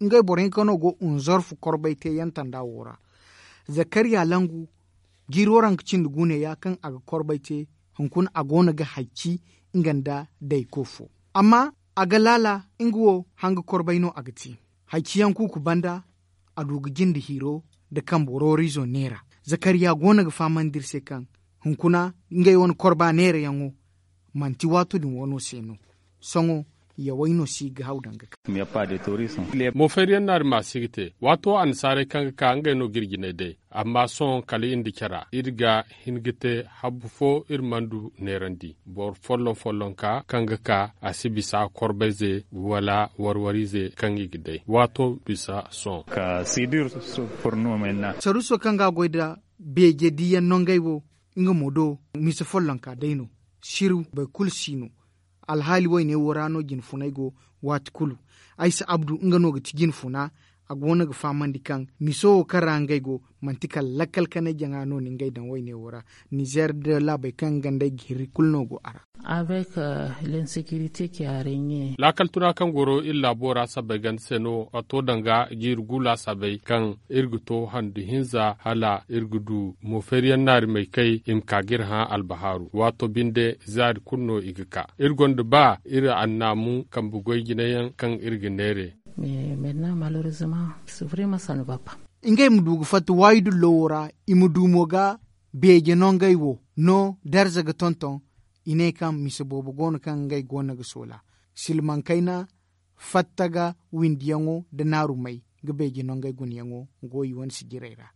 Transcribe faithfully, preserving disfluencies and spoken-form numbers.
ngey boro hinka no go unzorfu korbay te yantanda wo ra. Zakariya langu jiiro ra nga cindi guune ya kaŋ a ga korbay te. Hunkuna a go no ga hacci nga nda dayko fo, amma a ga laala nga wo hanga korbay no a ga te. Hacci yaŋ kuuku banda a du ga jinde hiiro nda kambe roorizo neera. Zakariya go no ga fahamandi iri se kaŋ hunkuna ngey wane korba neerayaŋo manti waato din wano se no. Sohõ yawey no si ga haw danga ka. Mo fayriyaŋ naari ma si ga te waato annasaarey kaŋ ga ka ngey no ga iri jinay day. Amma sohõ kala iri nda cara iri ga hin ga te habbu fo iri mana du neerandi boro folloŋ follonka kaŋ ga ka a si bisa korbayze wala warwarize kaŋ i ga day waato bisa sohõ. Saruso kaŋ ga a goy nda beeje diiyaŋ no ngey wo nga mo do mise follonka day no. Siru boro kulu si no. Alhaali wayne wo ra no jinfunay go. Waati kulu aysa abdu nga no ga ti jinfuna. A go no ga fahamandi kaŋ miso wo kaŋ ra ngey go manti kala lakkal kanay jaŋa no ni ngey daŋ wayne wo ra. Nizeer nda laabey kaŋ nga nd'ey ga hirri kulu no go a ra. Laakal tuna kaŋ goro iri laabo ra sabbay ganda se no a to danga jiiri gu laasabey kaŋ iri ga to handu hinza hala iri ga du mo feeriyaŋ naari may kay i ma ka ga iri hã albahaaru waato binde zaari kulu no i ga ka iri gonda ba iri annaamu kambe goy jinayaŋ kaŋ iri ga neere. Ngey ma du ga fatta waayi dullo wo ra i ma du mo ga beeje no ngey wo no darza ga tonton. I ne kaŋ mise boobo go no kaŋ ngey go no ga soola silmaŋ kayna fatta ga windiyaŋo nda naarumey ga beeje no ngey gunayaŋo go i wane sijirey ra.